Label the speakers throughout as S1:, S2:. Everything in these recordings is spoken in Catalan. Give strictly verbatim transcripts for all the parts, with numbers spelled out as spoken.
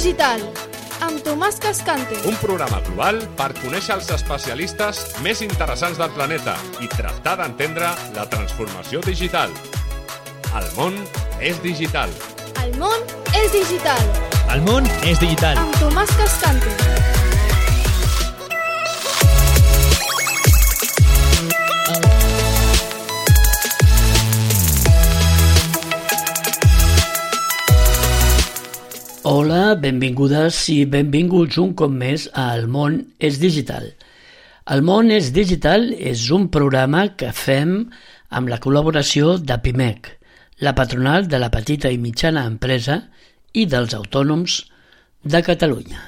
S1: Digital, amb Tomàs Cascante.
S2: Un programa global per conèixer els especialistes més interessants del planeta i tractar d'entendre la transformació digital. El món és digital.
S1: El món és digital.
S3: El món és digital.
S1: Amb Tomàs Cascante.
S4: Hola, benvingudes i benvinguts un cop més a El món és digital. El món és digital és un programa que fem amb la col·laboració de Pimec, la patronal de la petita i mitjana empresa i dels autònoms de Catalunya.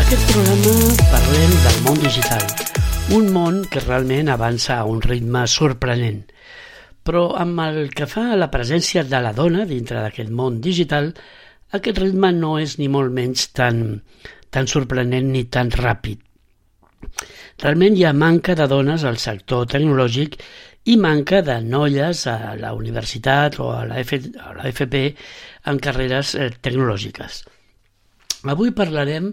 S4: Aquest programa parlem del món digital, un món que realment avança a un ritme sorprenent. Però amb el que fa a la presència de la dona dintre d'aquest món digital, aquest ritme no és ni molt menys tan, tan sorprenent ni tan ràpid. Realment hi ha manca de dones al sector tecnològic i manca de noies a la universitat o a la, F, a la F P en carreres eh, tecnològiques. Avui parlarem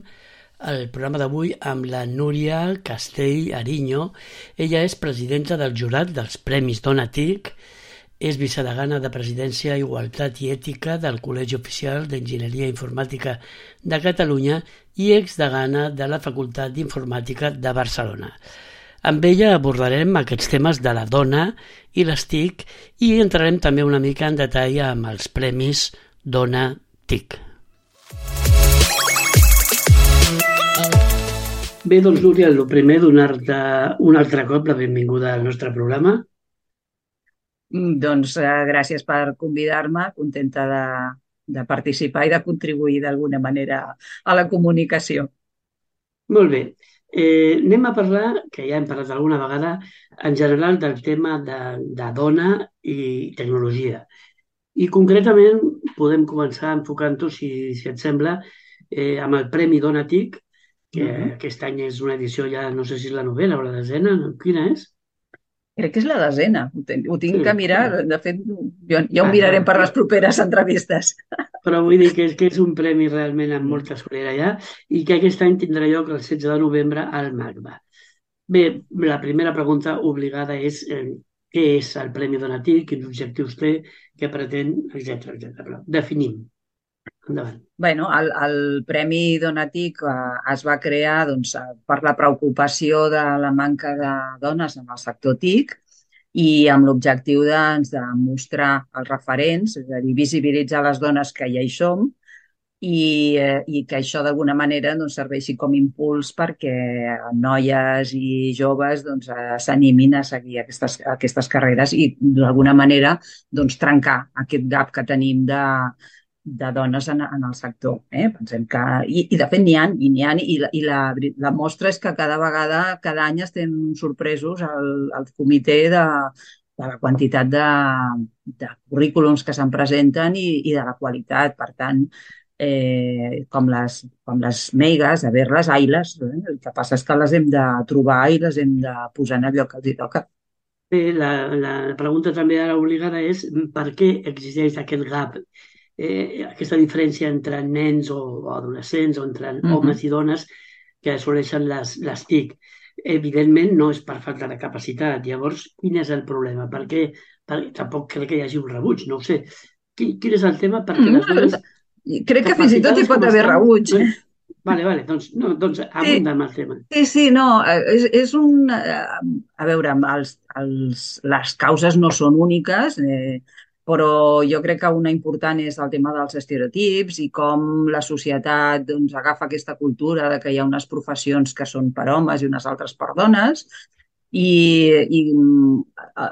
S4: el programa d'avui amb la Núria Castell Ariño. Ella és presidenta del jurat dels Premis Dona TIC, és vicedegana de Presidència, Igualtat i Ètica del Col·legi Oficial d'Enginyeria Informàtica de Catalunya i exdegana de la Facultat d'Informàtica de Barcelona. Amb ella abordarem aquests temes de la dona i les TIC i entrarem també una mica en detall amb els Premis Dona TIC. Bé, doncs, Núria, el primer, donar-te un altre cop la benvinguda al nostre programa.
S5: Doncs eh, gràcies per convidar-me, contenta de, de participar i de contribuir d'alguna manera a la comunicació.
S4: Molt bé. Eh, anem a parlar, que ja hem parlat alguna vegada, en general del tema de, de dona i tecnologia. I concretament podem començar enfocant-ho, si, si et sembla, eh, amb el Premi Dona TIC, que uh-huh. aquest any és una edició ja, no sé si és la novena o la desena, quina és?
S5: Crec que és la desena, ho tinc, ho tinc
S4: Sí,
S5: que mirar,
S4: clar.
S5: de fet jo, ja ho mirarem per les properes entrevistes.
S4: Però vull dir que és, que és un premi realment amb molta solera ja i que aquest any tindrà lloc el setze de novembre al MACBA. Bé, la primera pregunta obligada és eh, què és el Premi Dona TIC, quins objectius té, què pretén, etcètera etcètera. Definim. Endavant.
S5: Bueno, el, el Premi Dona TIC eh, es va crear doncs, per la preocupació de la manca de dones en el sector TIC i amb l'objectiu doncs, de mostrar els referents, és a dir, visibilitzar les dones que ja hi som i, eh, i que això d'alguna manera doncs, serveixi com impuls perquè noies i joves doncs, eh, s'animin a seguir aquestes, aquestes carreres i d'alguna manera doncs, trencar aquest gap que tenim de de dones en, en el sector. Eh? Pensem que, i, I de fet n'hi ha, i, n'hi ha, i, la, i la, la mostra és que cada vegada, cada any estem sorpresos al, al comitè de, de la quantitat de, de currículums que se'n presenten i, i de la qualitat. Per tant, eh, com, les, com les meigues, haver-les, ai-les, eh? El que passa és que les hem de trobar i les hem de posar en el lloc que els hi toca.
S4: Bé, la, la pregunta també ara obligada és per què existeix aquest gap, Eh, aquesta diferència entre nens o, o adolescents o entre mm-hmm. homes i dones que assoleixen les, les TIC. Evidentment no és per falta de capacitat. Llavors, quin és el problema? Per què? Per, tampoc crec que hi hagi un rebuig, no ho sé. Quin, quin és el tema? Perquè mm-hmm. les dones...
S5: Crec que fins i tot hi pot haver rebuig. Eh?
S4: Vale, vale, doncs, no, doncs abunda'm sí. el tema.
S5: Sí, sí, no, és, és un... A veure, els, els, les causes no són úniques, eh, però jo crec que una important és el tema dels estereotips i com la societat doncs, agafa aquesta cultura de que hi ha unes professions que són per homes i unes altres per dones i, i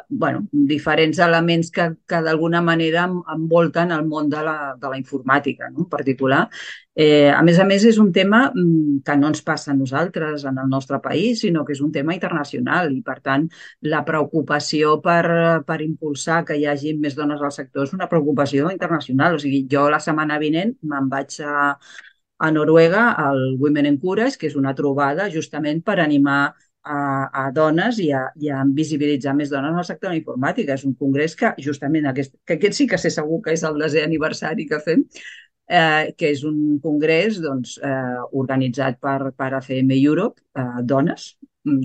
S5: bueno, diferents elements que, que d'alguna manera envolten el món de la, de la informàtica, no? En particular. Eh, a més a més, és un tema que no ens passa a nosaltres en el nostre país, sinó que és un tema internacional i, per tant, la preocupació per, per impulsar que hi hagi més dones al sector és una preocupació internacional. O sigui, jo la setmana vinent me'n vaig a, a Noruega al Women in Courage, que és una trobada justament per animar a, a dones i a, i a visibilitzar més dones en el sector de la informàtica. És un congrés que justament aquest, que aquest sí que sé segur que és el desè aniversari que fem, eh, que és un congrés doncs, eh, organitzat per, per A C M Europe, eh, dones,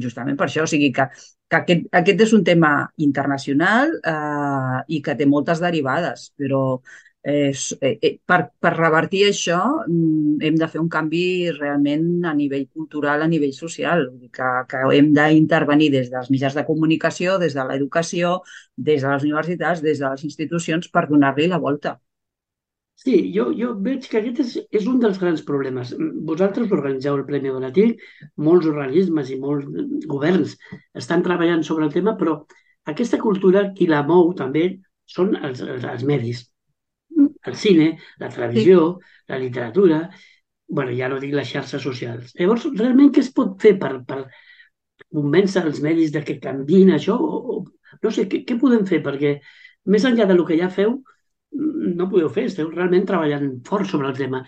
S5: justament per això. O sigui que, que aquest, aquest és un tema internacional eh, i que té moltes derivades, però eh, eh, per, per revertir això mm, hem de fer un canvi realment a nivell cultural, a nivell social. Vull dir que, que hem d'intervenir des dels mitjans de comunicació, des de l'educació, des de les universitats, des de les institucions per donar-li la volta.
S4: Sí, jo, jo veig que aquest és, és un dels grans problemes. Vosaltres organitzeu el Premi Donatí, molts organismes i molts governs estan treballant sobre el tema, però aquesta cultura qui la mou també són els, els, els medis. El cine, la televisió, sí. La literatura, bueno, ja no dic les xarxes socials. Llavors, realment què es pot fer per, per convèncer els medis de que canviïn això? O, o, no sé, què, què podem fer? Perquè més enllà del que ja feu, no podeu fer, esteu realment treballant fort sobre el tema.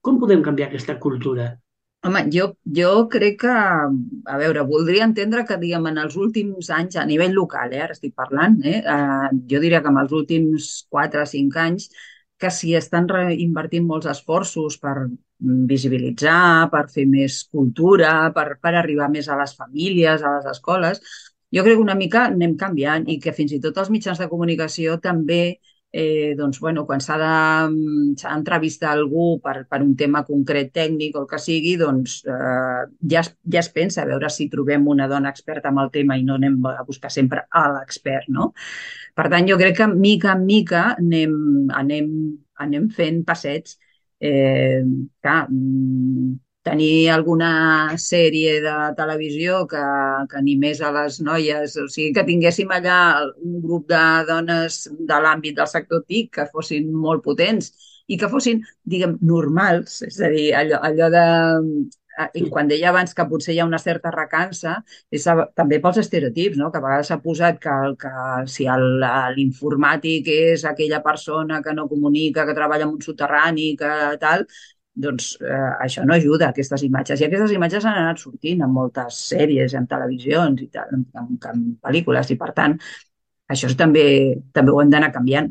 S4: Com podem canviar aquesta cultura?
S5: Home, jo, jo crec que, a veure, voldria entendre que, diguem, en els últims anys, a nivell local, eh, ara estic parlant, eh, eh, jo diria que en els últims quatre o cinc anys, que s'hi estan invertint molts esforços per visibilitzar, per fer més cultura, per, per arribar més a les famílies, a les escoles. Jo crec que una mica anem canviant i que fins i tot els mitjans de comunicació també Eh, doncs, bueno, quan s'ha d'entrevistar algú per, per un tema concret tècnic o el que sigui, doncs eh, ja, es, ja es pensa a veure si trobem una dona experta en el tema i no anem a buscar sempre a l'expert, no? Per tant, jo crec que mica en mica anem, anem, anem fent passets. Eh, clar, tenir alguna sèrie de televisió que, que animés a les noies, o sigui, que tinguéssim allà un grup de dones de l'àmbit del sector T I C que fossin molt potents i que fossin, diguem, normals, és a dir, allò, allò de... Quan deia abans que potser hi ha una certa recança, és també pels estereotips, no? Que a vegades s'ha posat que, que si l'informàtic és aquella persona que no comunica, que treballa en un soterrani, que tal, doncs eh, això no ajuda a aquestes imatges. I aquestes imatges han anat sortint en moltes sèries, en televisions i tal, en, en, en pel·lícules, i per tant, això també, també ho hem d'anar canviant.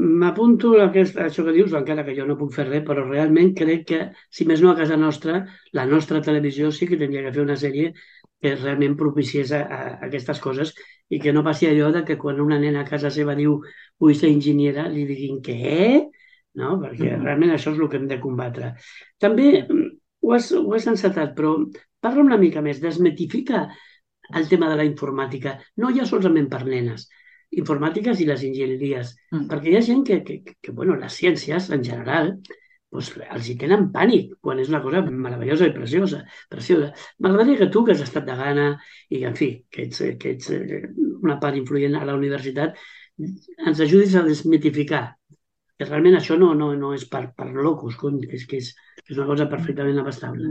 S4: M'apunto a aquest, a això que dius, encara que jo no puc fer res, però realment crec que, si més no a casa nostra, la nostra televisió sí que tindria que fer una sèrie que realment propiciés a, a, a aquestes coses i que no passi allò de que quan una nena a casa seva diu vull ser enginyera, li diguin què? No? Perquè mm-hmm. realment això és el que hem de combatre. També ho has, ho has encetat, però parla una mica més, desmitifica el tema de la informàtica, no ja solament per nenes, informàtiques i les enginyeries, mm. perquè hi ha gent que, que, que, bueno, les ciències en general, doncs, els hi tenen pànic quan és una cosa meravellosa i preciosa. preciosa. M'agradaria que tu, que has estat de gana i, en fi, que ets, que ets una part influent a la universitat, ens ajudis a desmitificar que realment això no, no, no és per, per locos, és que és, és una cosa perfectament abastable.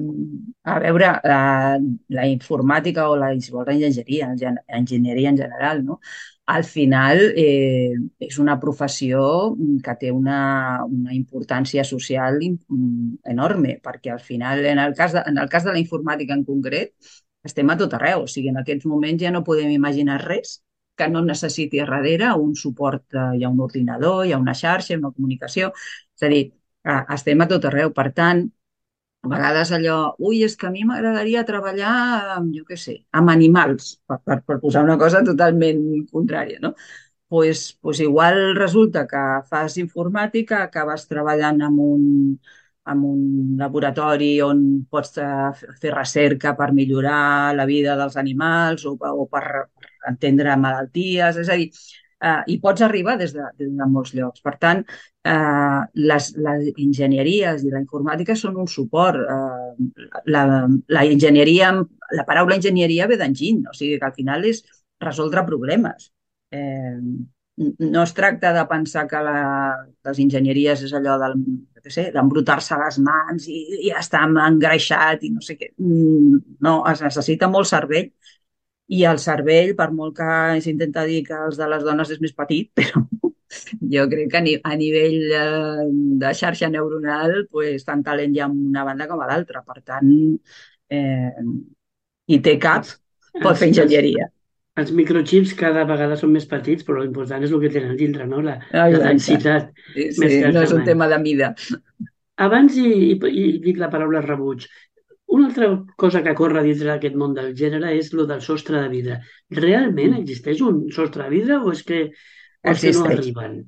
S5: A veure, la, la informàtica o la, si vols, la enginyeria, enginyeria en general, no? Al final eh, és una professió que té una, una importància social enorme, perquè al final, en el, cas de, en el cas de la informàtica en concret, estem a tot arreu. O sigui, en aquests moments ja no podem imaginar res que no necessiti a darrere un suport, hi ha un ordinador, hi ha una xarxa, una comunicació, és a dir, estem a tot arreu. Per tant, a vegades allò, ui, és que a mi m'agradaria treballar, amb, jo què sé, amb animals, per, per, per posar una cosa totalment contrària, no? Pues, pues igual resulta que fas informàtica, acabes treballant en un, en un laboratori on pots fer recerca per millorar la vida dels animals o, o per entendre malalties, és a dir, eh, i pots arribar des de, des de molts llocs. Per tant, eh, les, les enginyeries i la informàtica són un suport. Eh, la, la enginyeria, la paraula enginyeria ve d'enginy, o sigui que al final és resoldre problemes. Eh, no es tracta de pensar que la, les enginyeries és allò del, d'embrutar-se les mans i, i estar engreixat i no sé què. No, es necessita molt cervell. I el cervell, per molt que s'intenta dir que els de les dones és més petit, però jo crec que a nivell de xarxa neuronal, pues, tant talent hi ha una banda com a l'altra. Per tant, eh, i té cap, pot fer enginyeria.
S4: Els microchips cada vegada són més petits, però l'important és el que tenen dintre, no? La, la
S5: Exacte.
S4: densitat.
S5: Sí,
S4: més
S5: sí,
S4: que el
S5: no és un
S4: tamany.
S5: tema de mida.
S4: Abans, i, i, i dic la paraula rebuig, una altra cosa que corre dintre d'aquest món del gènere és lo del sostre de vidre. Realment existeix un sostre de vidre o és que, o és que no
S5: Existeix.
S4: arriben?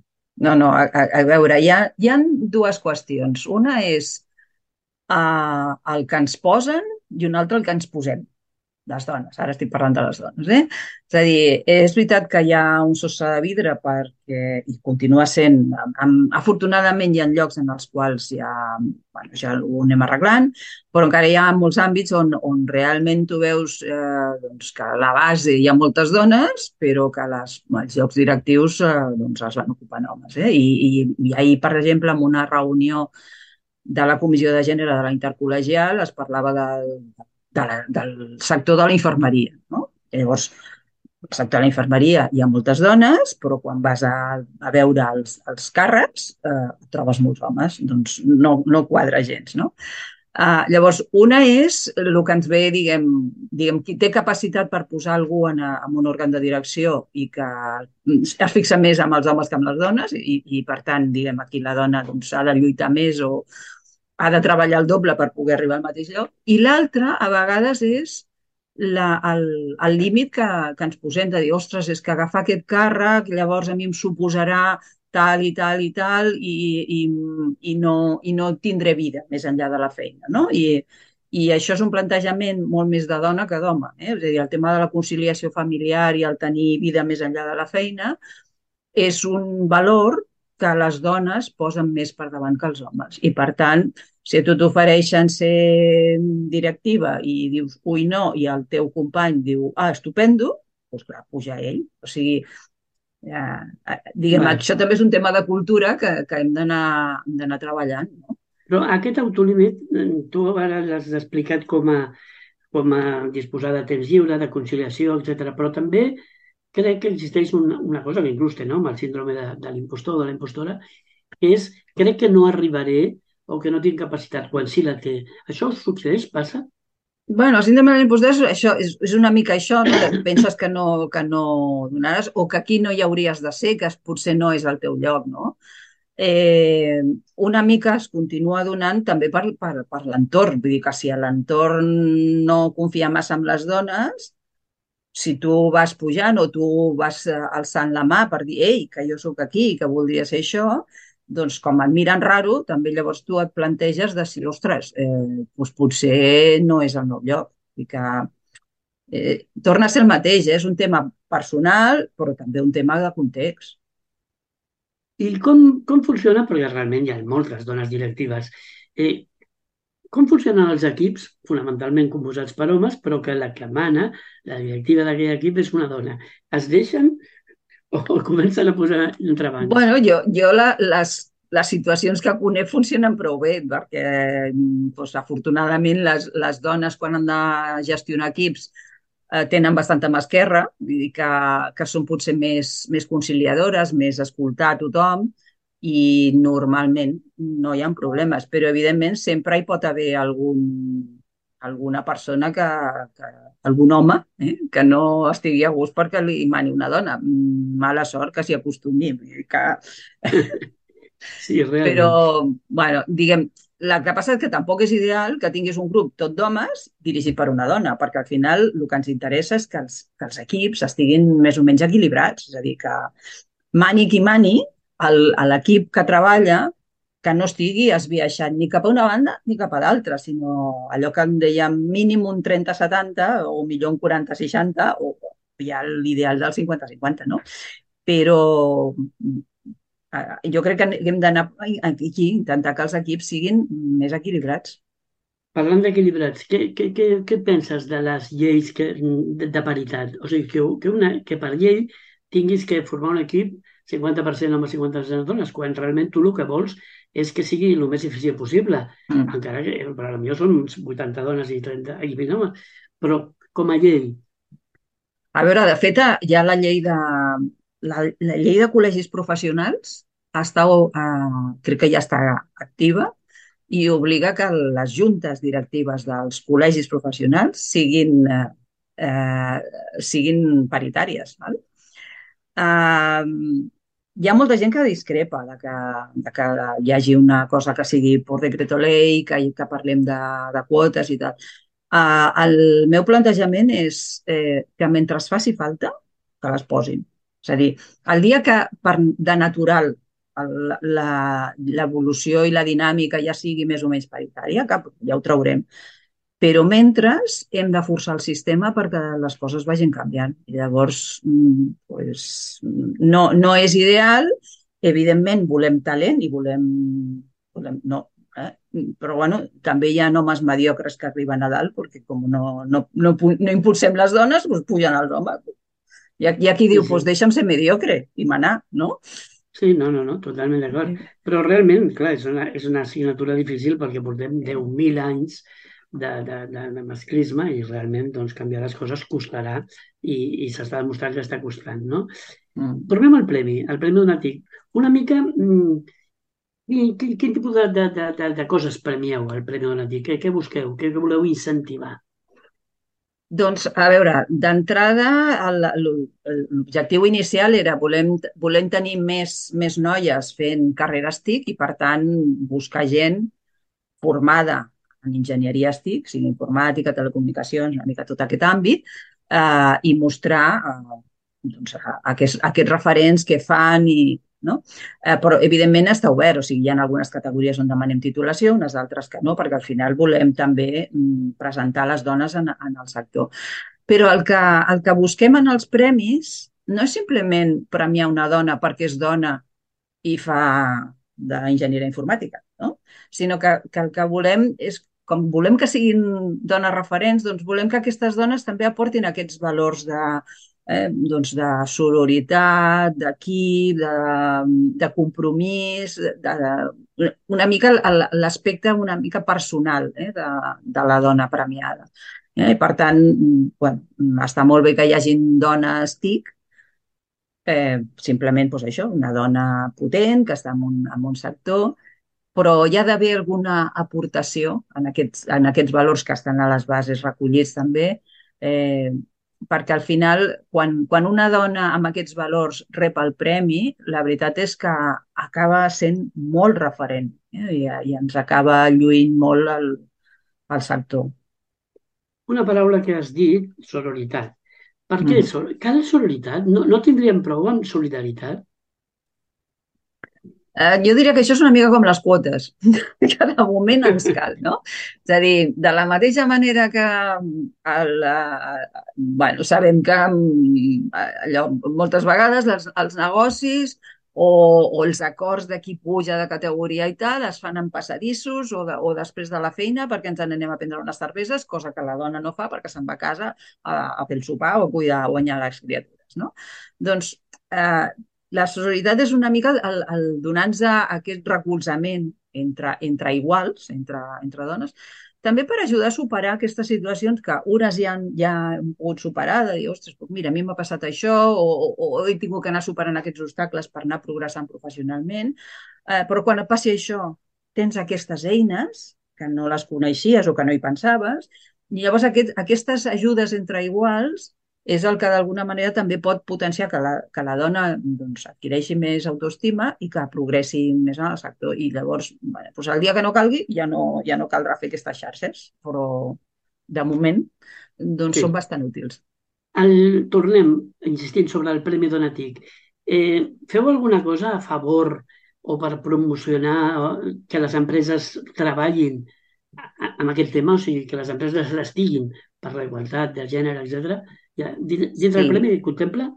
S5: No, no, a, a, a veure, hi ha, hi ha dues qüestions. Una és uh, el que ens posen i una altra el que ens posem. Les dones, ara estic parlant de les dones, eh? És a dir, és veritat que hi ha un sostre de vidre perquè, i continua sent, amb, afortunadament hi ha llocs en els quals ja, bueno, ja ho anem arreglant, però encara hi ha molts àmbits on, on realment tu veus eh, doncs que a la base hi ha moltes dones, però que les, els llocs directius eh, doncs els van ocupant homes. Eh? I, i, I ahir, per exemple, en una reunió de la Comissió de Gènere de la Intercol·legial es parlava del De la, del sector de la infermeria. No? Llavors, al sector de la infermeria hi ha moltes dones, però quan vas a, a veure els, els càrrecs eh, trobes molts homes, doncs no, no quadra gens. No? Uh, llavors, una és el que ens ve, diguem, diguem, qui té capacitat per posar algú en, a, en un òrgan de direcció i que es fixa més amb els homes que amb les dones i, i per tant, diguem, aquí la dona doncs, ha de lluitar més o ha de treballar el doble per poder arribar al mateix lloc. I l'altre, a vegades, és la, el, el límit que, que ens posem de dir, ostres, és que agafar aquest càrrec, llavors a mi em suposarà tal i tal i tal i, i, i, no, i no tindré vida més enllà de la feina. No? I, I això és un plantejament molt més de dona que d'home. Eh? És a dir, el tema de la conciliació familiar i el tenir vida més enllà de la feina és un valor que les dones posen més per davant que els homes. I, per tant, si a tu t'ofereixen ser directiva i dius ui no, i el teu company diu ah, estupendo, doncs clar, puja ell. O sigui, eh, diguem,
S4: Vale.
S5: Això també és un tema de cultura que, que hem d'anar treballant. No?
S4: Però aquest autolímit, tu ara l'has explicat com a, com a disposar de temps lliure, de conciliació, etcètera. Però també crec que existeix una, una cosa que inclús té nom, el síndrome de, de l'impostor o de la impostora, que és, crec que no arribaré o que no tinc capacitat, quan sí la té. Això succeeix? Passa?
S5: Bueno, el síndrome de l'impostor això és, és una mica això, no? Que penses que no, que no donaràs o que aquí no hi hauries de ser, que potser no és el teu lloc, no? Eh, una mica es continua donant també per, per, per l'entorn. Vull dir que si a l'entorn no confia massa en les dones, si tu vas pujant o tu vas alçant la mà per dir ei, que jo sóc aquí i que voldria ser això, doncs com et miren raro, també llavors tu et planteges de si, ostres, eh, doncs potser no és el meu lloc. I que eh, torna a ser el mateix, eh? És un tema personal, però també un tema de context.
S4: I com, com funciona? Perquè realment hi ha moltes dones directives. Eh, com funcionen els equips, fonamentalment composats per homes, però que la que mana, la directiva d'aquell equip, és una dona? Es deixen o comencen a posar entrebancs?
S5: Bueno, jo, jo la, les, les situacions que conec funcionen prou bé, perquè doncs, afortunadament les, les dones quan han de gestionar equips eh, tenen bastanta mà esquerra, vull dir que, que són potser més, més conciliadores, més escoltar a tothom, i normalment no hi ha problemes, però evidentment sempre hi pot haver algun, alguna persona que, que algun home eh, que no estigui a gust perquè li mani una dona. Mala sort que s'hi acostumi. Que...
S4: Sí, realment.
S5: Però, bueno, diguem, el que passa és que tampoc és ideal que tinguis un grup tot d'homes dirigit per una dona, perquè al final el que ens interessa és que els, que els equips estiguin més o menys equilibrats, és a dir, que mani qui mani, a l'equip que treballa que no estigui esbiaixat ni cap a una banda ni cap a l'altra, sinó allò que en dèiem mínim un trenta setanta o millor un quaranta seixanta o ja l'ideal del cinquanta cinquanta, no? Però jo crec que hem d'anar aquí, intentar que els equips siguin més equilibrats.
S4: Parlant d'equilibrats, què, què, què, què penses de les lleis que, de, de paritat? O sigui, que, que, una, que per llei tinguis que formar un equip cinquanta per cent homes, cinquanta per cent dones, quan realment tu el que vols és que sigui el més eficient possible. Mm. Encara que per a mi són vuitanta dones i trenta i vint homes, però com a llei.
S5: A veure, de fet, hi ha la llei de, la, la llei de col·legis professionals, està, uh, crec que ja està activa, i obliga que les juntes directives dels col·legis professionals siguin, eh, eh, siguin paritàries. Val? Eh, hi ha molta gent que discrepa de que, de que hi hagi una cosa que sigui per decreto ley, que, que parlem de, de quotes i tal. Uh, el meu plantejament és eh, que mentre es faci falta, que les posin. És a dir, el dia que per, de natural el- la- l'evolució i la dinàmica ja sigui més o menys paritària, que ja ho traurem. Però mentre hem de forçar el sistema perquè les coses vagin canviant. I llavors, mm, pues, no, no és ideal. Evidentment, volem talent i volem... volem no, eh? Però bueno, també hi ha homes mediocres que arriben a dalt perquè com no, no, no, pu- no impulsem les dones, doncs pugen els homes. Hi ha, hi ha qui
S4: Sí,
S5: diu,
S4: sí.
S5: pues deixa'm ser mediocre i manar, no?
S4: Sí, no, no, no, totalment d'acord. Però realment, clar, és una, és una assignatura difícil perquè portem deu mil anys de, de, de, de masclisme i realment doncs, canviar les coses costarà i, i s'està demostrant que està costant, no?
S5: Mm.
S4: Tornem al premi, al premi Donatic. Una mica, mm, quin, quin, quin tipus de, de, de, de, de coses premieu al premi Donatic? Què, què busqueu? Què, què voleu incentivar?
S5: Doncs, a veure, d'entrada, el- el- l'objectiu inicial era volem, volem tenir més, més noies fent carreres TIC i, per tant, buscar gent formada en enginyeries TIC, sigui informàtica, telecomunicacions, una mica tot aquest àmbit, eh, i mostrar eh, doncs, a- a aquests, aquests referents que fan i, no? Eh, però, evidentment, està obert. O sigui, hi ha algunes categories on demanem titulació, unes altres que no, perquè al final volem també mm, presentar les dones en, en el sector. Però el que, el que busquem en els premis no és simplement premiar una dona perquè és dona i fa d'enginyeria informàtica, no? Sinó que, que el que volem és, com volem que siguin dones referents, doncs volem que aquestes dones també aportin aquests valors de, eh, doncs de sororitat, d'equip, de, de compromís, de, de, una mica el- l'aspecte una mica personal eh, de, de la dona premiada. Eh? Per tant, bueno, està molt bé que hi hagin dones TIC, eh, simplement doncs això, una dona potent que està en un, en un sector, però hi ha d'haver alguna aportació en aquests, en aquests valors que estan a les bases recollits també, eh, perquè al final, quan, quan una dona amb aquests valors rep el premi, la veritat és que acaba sent molt referent eh, i, i ens acaba lluint molt el, el sector.
S4: Una paraula que has dit, sororitat. Per què
S5: Mm.
S4: sor- cal sororitat? No, no tindríem prou amb solidaritat?
S5: Eh, jo diria que això és una mica com les quotes, que de moment ens cal, no? És a dir, de la mateixa manera que el, eh, bueno, sabem que mm, allò, moltes vegades els, els negocis o, o els acords de qui puja de categoria i tal es fan en passadissos o, de, o després de la feina perquè ens n'anem a prendre unes cerveses, cosa que la dona no fa perquè se'n va a casa a, a fer el sopar o a cuidar o guanyar les criatures, no? Doncs eh, la sororitat és una mica el, el donar-nos aquest recolzament entre, entre iguals, entre, entre dones, també per ajudar a superar aquestes situacions que unes ja han, ja han pogut superar, de dir, ostres, doncs mira, a mi m'ha passat això, o, o, o he tingut que anar superant aquests obstacles per anar progressant professionalment, eh, però quan et passi això tens aquestes eines que no les coneixies o que no hi pensaves, i llavors aquest, aquestes ajudes entre iguals és el que d'alguna manera també pot potenciar que la, que la dona doncs, adquireixi més autoestima i que progressi més en el sector. I llavors, bueno, doncs el dia que no calgui ja no, ja no caldrà fer aquestes xarxes, però de moment doncs,
S4: Sí.
S5: són bastant útils.
S4: El, tornem, insistint sobre el Premi Donatic. Eh, feu alguna cosa a favor o per promocionar eh, que les empreses treballin a- a- amb aquest tema, o sigui, que les empreses estiguin per la igualtat de gènere, etcètera. Ja, din- dintre del
S5: Sí.
S4: Premi contempla?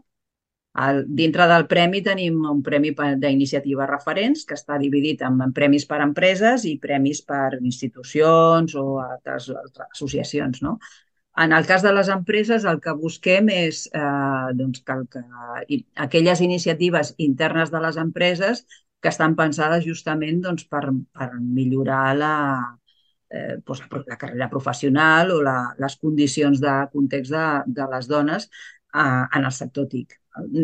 S5: El, dintre del premi tenim un premi per- d'iniciatives referents que està dividit en, en premis per empreses i premis per institucions o altres, altres associacions, no? En el cas de les empreses, el que busquem és eh, doncs que, el que, i, aquelles iniciatives internes de les empreses que estan pensades justament doncs, per, per millorar la, eh, doncs, la carrera professional o la, les condicions de context de, de les dones, a, en el sector TIC.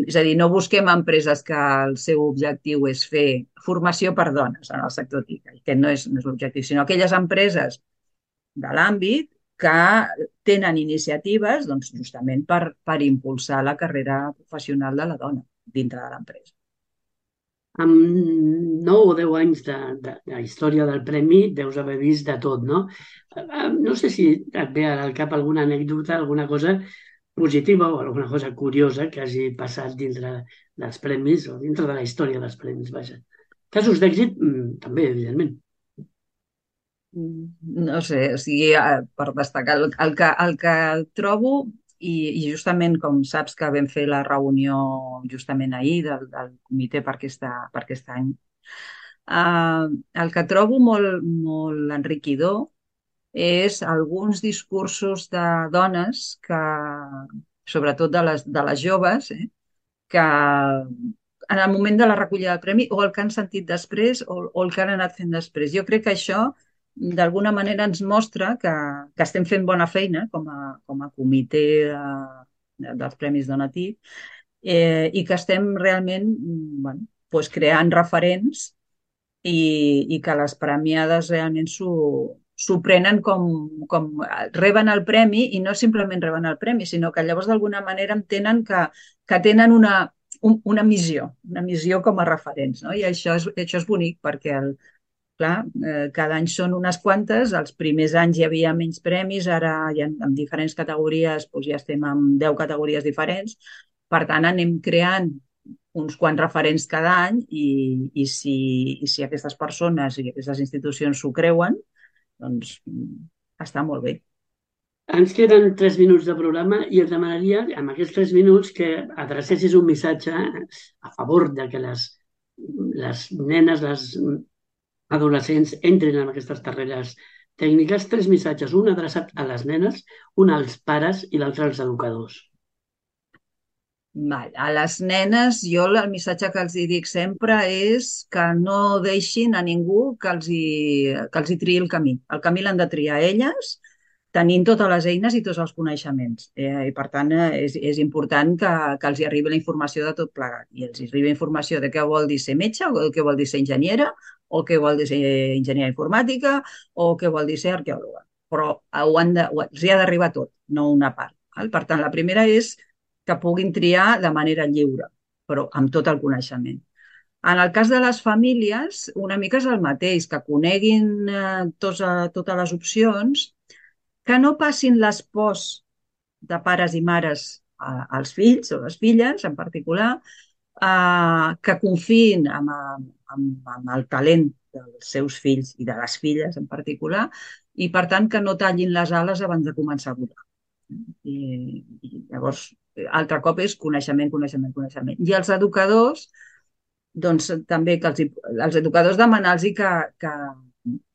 S5: És a dir, no busquem empreses que el seu objectiu és fer formació per dones en el sector TIC, que no és, no és l'objectiu, sinó aquelles empreses de l'àmbit que tenen iniciatives doncs, justament per, per impulsar la carrera professional de la dona dintre de l'empresa.
S4: Amb nou o deu anys de, de, de història del premi deus haver vist de tot, no? No sé si et ve al cap alguna anècdota, alguna cosa positiva o alguna cosa curiosa que hagi passat dintre dels premis o dintre de la història dels premis, vaja. Casos d'èxit, també, evidentment.
S5: No sé, o sigui, per destacar, el, el, que, el que trobo, i, i justament com saps que vam fer la reunió justament ahir del, del comitè per, aquesta, per aquest any, eh, el que trobo molt, molt enriquidor és alguns discursos de dones que, sobretot de les, de les joves, eh, que en el moment de la recollida del premi o el que han sentit després o, o el que han anat fent després. Jo crec que això d'alguna manera ens mostra que, que estem fent bona feina com a, com a comitè de, de, dels Premis Donatí eh, i que estem realment bueno, doncs creant referents i, i que les premiades realment s'ho prenen com, com reben el premi i no simplement reben el premi, sinó que llavors d'alguna manera entenen que, que tenen una, un, una missió, una missió com a referents. No? I això és, això és bonic perquè el, clar, eh, cada any són unes quantes, els primers anys hi havia menys premis, ara ja en diferents categories doncs ja estem en deu categories diferents, per tant anem creant uns quants referents cada any i, i, si, i si aquestes persones i aquestes institucions s'ho creuen, doncs està molt bé.
S4: Ens queden tres minuts de programa i et demanaria, amb aquests tres minuts, que adrecessis un missatge a favor de que les, les nenes, les adolescents entrin en aquestes carreres tècniques. Tres missatges, un adreçat a les nenes, un als pares i l'altre als educadors.
S5: Val. A les nenes, jo el missatge que els dic sempre és que no deixin a ningú que els hi, que els hi triï el camí. El camí l'han de triar elles, tenint totes les eines i tots els coneixements. Eh, I per tant, és, és important que, que els hi arribi la informació de tot plegat. I els hi arribi informació de què vol dir ser metge, o què vol dir ser enginyera, o què vol dir ser enginyera informàtica, o què vol dir ser arqueòloga. Però ho han de, ho, els hi ha d'arribar tot, no una part. Val? Per tant, la primera és que puguin triar de manera lliure, però amb tot el coneixement. En el cas de les famílies, una mica és el mateix, que coneguin eh, tots, eh, totes les opcions, que no passin les pors de pares i mares eh, als fills o les filles en particular, eh, que confiïn en, en, en el talent dels seus fills i de les filles en particular, i per tant que no tallin les ales abans de començar a volar. I, i llavors, altre cop és coneixement, coneixement, coneixement. I els educadors, doncs també que els, els educadors demanar-los que, que,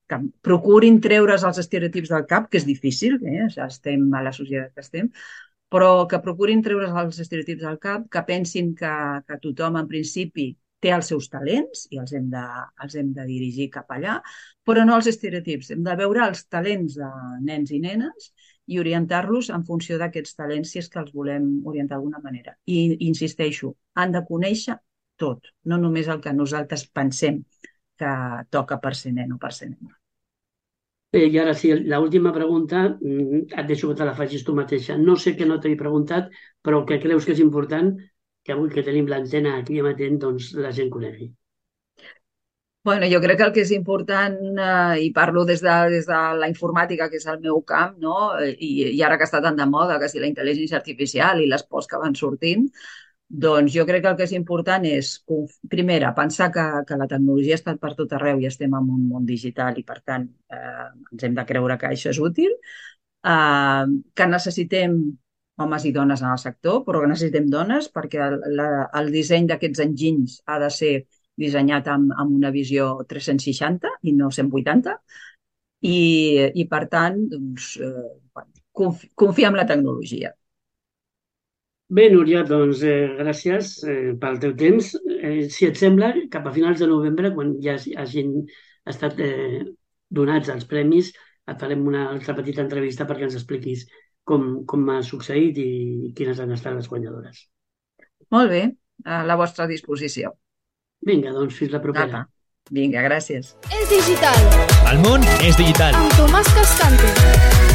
S5: que procurin treure's els estereotips del cap, que és difícil, eh? Ja estem a la societat que estem, però que procurin treure's els estereotips del cap, que pensin que, que tothom en principi té els seus talents i els hem, de, els hem de dirigir cap allà, però no els estereotips. Hem de veure els talents de nens i nenes i orientar-los en funció d'aquests talents si és que els volem orientar d'alguna manera. I insisteixo, han de conèixer tot, no només el que nosaltres pensem que toca per ser nen o per ser nena.
S4: Bé, i ara sí, l'última pregunta, et deixo que te la facis tu mateixa. No sé què no t'he preguntat, però que creus que és important que avui que tenim l'antena aquí amatent, doncs la gent conegui.
S5: Bueno, jo crec que el que és important, eh, i parlo des de, des de la informàtica, que és el meu camp, no? I, i ara que està tan de moda, que si la intel·ligència artificial i les pors que van sortint, doncs jo crec que el que és important és, primera, pensar que, que la tecnologia ha estat per tot arreu i estem en un món digital i, per tant, eh, ens hem de creure que això és útil, eh, que necessitem homes i dones en el sector, però que necessitem dones perquè el, la, el disseny d'aquests enginys ha de ser dissenyat amb, amb una visió tres-cents seixanta i no cent vuitanta, i, i per tant, doncs, eh, confi, confia en la tecnologia.
S4: Bé, Núria, doncs eh, gràcies eh, pel teu temps. Eh, si et sembla, cap a finals de novembre, quan ja hagin estat eh, donats els premis, et farem una altra petita entrevista perquè ens expliquis com, com ha succeït i quines han estat les guanyadores.
S5: Molt bé, a la vostra disposició.
S4: Vinga, doncs fins la propera.
S5: Apa. Vinga, gràcies.
S1: És digital.
S3: El món és digital.
S1: Amb Tomàs Cascante.